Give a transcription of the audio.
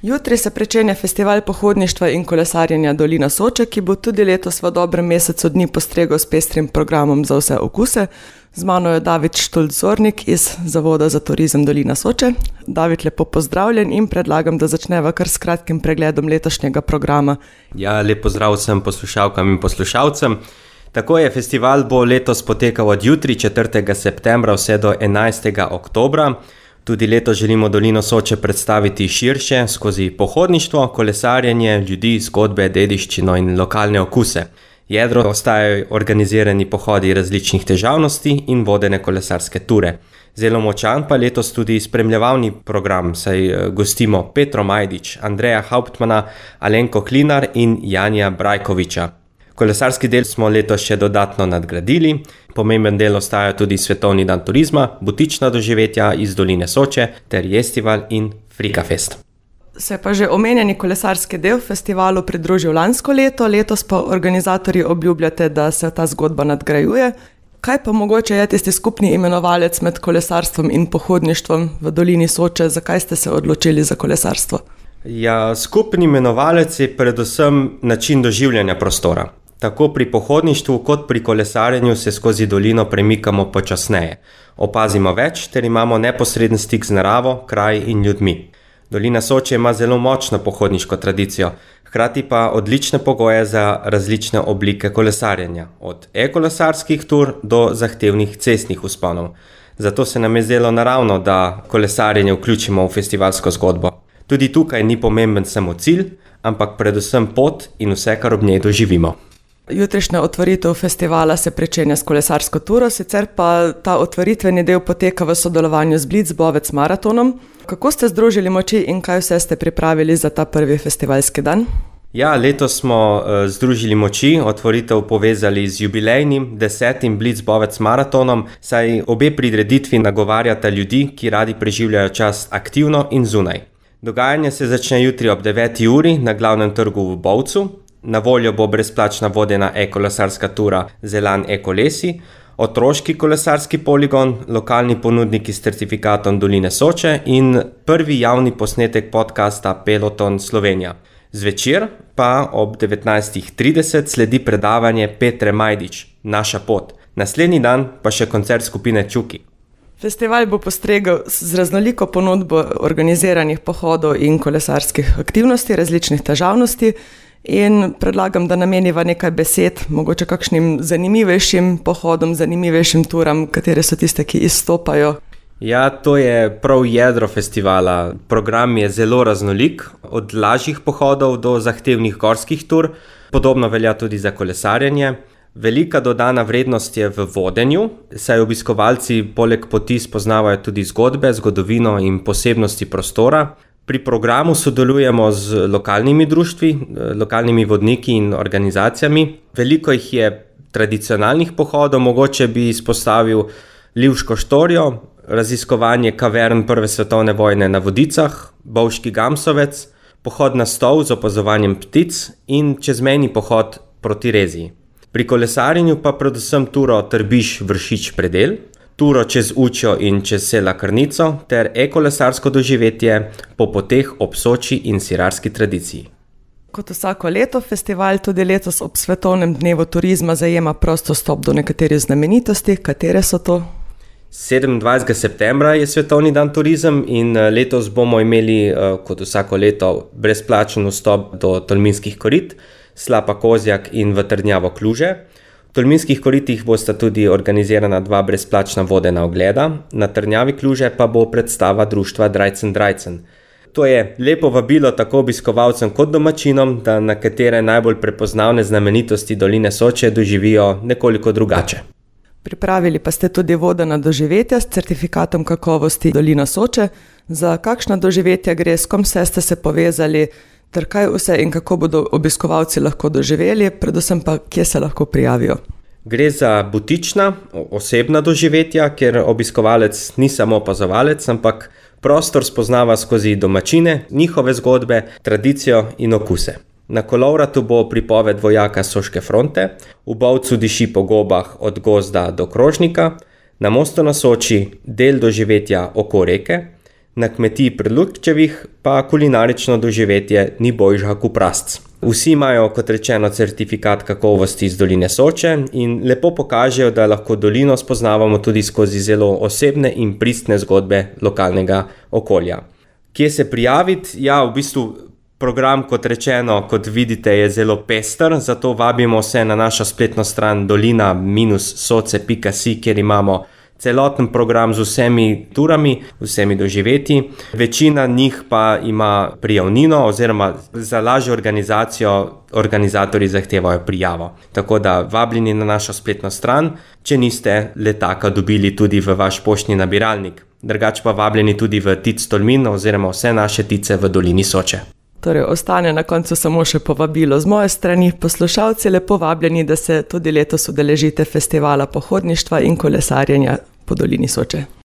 Jutri se pričenja festival pohodništva in kolesarjenja Dolina Soče, ki bo tudi letos v dobrem mesecu dni postregel s pestrim programom za vse okuse. Z mano je David Štulc-Zornik iz Zavoda za turizem Dolina Soče. David, lepo pozdravljen in predlagam, da začneva kar s kratkim pregledom letošnjega programa. Ja, lep pozdrav vsem poslušalkam in poslušalcem. Tako je, festival bo letos potekal od jutri 4. septembra vse do 11. oktobra. Tudi letos želimo Dolino Soče predstaviti širše skozi pohodništvo, kolesarjenje, ljudi, zgodbe, dediščino in lokalne okuse. Jedro ostajajo organizirani pohodi različnih težavnosti in vodene kolesarske ture. Zelo močan pa letos tudi spremljevalni program, saj gostimo Petro Majdič, Andreja Hauptmana, Alenko Klinar in Janja Brajkoviča. Kolesarski del smo letos še dodatno nadgradili. Pomemben del ostaja tudi Svetovni dan turizma, butična doživetja iz Doline Soče ter Jestival in Frikafest. Se pa že omenjeni kolesarski del festivalu pridružil lansko leto, letos pa organizatorji obljubljate, da se ta zgodba nadgrajuje. Kaj pa mogoče je tisti skupni imenovalec med kolesarstvom in pohodništvom v Dolini Soče? Zakaj ste se odločili za kolesarstvo? Ja, skupni imenovalec je predvsem način doživljanja prostora. Tako pri pohodništvu kot pri kolesarjenju se skozi dolino premikamo počasneje. Opazimo več ter imamo neposreden stik z naravo, kraj in ljudmi. Dolina Soče ima zelo močno pohodniško tradicijo, hkrati pa odlične pogoje za različne oblike kolesarjenja, od e-kolesarskih tur do zahtevnih cestnih vzponov. Zato se nam je zdelo naravno, da kolesarjenje vključimo v festivalsko zgodbo. Tudi tukaj ni pomemben samo cilj, ampak predvsem pot in vse, kar ob njej doživimo. Jutrišnja otvoritev festivala se pričenja s kolesarsko turo, sicer pa ta otvoritveni del poteka v sodelovanju z Blitzbovec maratonom. Kako ste združili moči in kaj vse ste pripravili za ta prvi festivalski dan? Ja, letos smo združili moči, otvoritev povezali z jubilejnim 10. Blitzbovec maratonom, saj obe prireditvi nagovarjata ljudi, ki radi preživljajo čas aktivno in zunaj. Dogajanje se začne jutri ob 9. uri na glavnem trgu v Bovcu. Na voljo bo brezplačna vodena e-kolesarska tura Zelan e-kolesi, otroški kolesarski poligon, lokalni ponudniki s certifikatom Doline Soče in prvi javni posnetek podcasta Peloton Slovenija. Zvečer pa ob 19.30 sledi predavanje Petre Majdič, Naša pot. Naslednji dan pa še koncert skupine Čuki. Festival bo postregel z raznoliko ponudbo organiziranih pohodov in kolesarskih aktivnosti, različnih težavnosti. In predlagam, da nameniva nekaj besed, mogoče kakšnim zanimivejšim pohodom, zanimivejšim turam, katere so tiste, ki izstopajo. Ja, to je prav jedro festivala. Program je zelo raznolik, od lažjih pohodov do zahtevnih gorskih tur. Podobno velja tudi za kolesarjenje. Velika dodana vrednost je v vodenju, saj obiskovalci poleg poti spoznavajo tudi zgodbe, zgodovino in posebnosti prostora. Pri programu sodelujemo z lokalnimi društvi, lokalnimi vodniki in organizacijami. Veliko jih je tradicionalnih pohodov, mogoče bi izpostavil Livško štorijo, raziskovanje kavern Prve svetovne vojne na Vodicah, Bovški Gamsovec, pohod na Stol z opazovanjem ptic in čezmejni pohod proti Reziji. Pri kolesarjenju pa predvsem turo Trbiš-Vršič-Predel, turo čez Učjo in čez Sela Krnico ter e-kolesarsko doživetje po poteh ob Soči in sirarski tradiciji. Kot vsako leto, festival tudi letos ob Svetovnem dnevu turizma zajema prost dostop do nekaterih znamenitosti. Katere so to? 27. septembra je Svetovni dan turizem in letos bomo imeli, kot vsako leto, brezplačen vstop do Tolminskih korit, Slapa Kozjak in v Trdnjavo Kluže. V Tolminskih koritih bosta tudi organizirana 2 brezplačna vodena ogleda, na Trdnjavi Kluže pa bo predstava društva Drajcen. To je lepo vabilo tako obiskovalcem kot domačinom, da nekatere najbolj prepoznavne znamenitosti Doline Soče doživijo nekoliko drugače. Pripravili pa ste tudi vodena doživetja s certifikatom kakovosti Dolina Soče. Za kakšna doživetja gre, s kom vse ste se povezali, ter kaj vse in kako bodo obiskovalci lahko doživeli, predvsem pa kje se lahko prijavijo? Gre za butična, osebna doživetja, kjer obiskovalec ni samo opazovalec, ampak prostor spoznava skozi domačine, njihove zgodbe, tradicijo in okuse. Na kolovratu bo pripoved vojaka Soške fronte, v Bovcu diši po gobah od gozda do krožnika, na Mostu na Soči del doživetja Oko reke, Na kmetiji pri Lukčevih pa kulinarično doživetje ni boljša kot prasc. Vsi imajo, kot rečeno, certifikat kakovosti iz doline Soče in lepo pokažejo, da lahko dolino spoznavamo tudi skozi zelo osebne in pristne zgodbe lokalnega okolja. Kje se prijaviti? Ja, v bistvu program, kot rečeno, kot vidite, je zelo pester, zato vabimo vse na našo spletno stran dolina-soce.si, kjer imamo celoten program z vsemi turami, vsemi doživetji. Večina njih pa ima prijavnino oziroma za lažjo organizacijo organizatorji zahtevajo prijavo. Tako da vabljeni na našo spletno stran, če niste letaka dobili tudi v vaš poštni nabiralnik. Drugače pa vabljeni tudi v Tic Tolmin oziroma vse naše tice v dolini Soče. Torej, ostane na koncu samo še povabilo z moje strani. Poslušalci, lepo vabljeni, da se tudi letos udeležite festivala pohodništva in kolesarjenja po dolini Soče.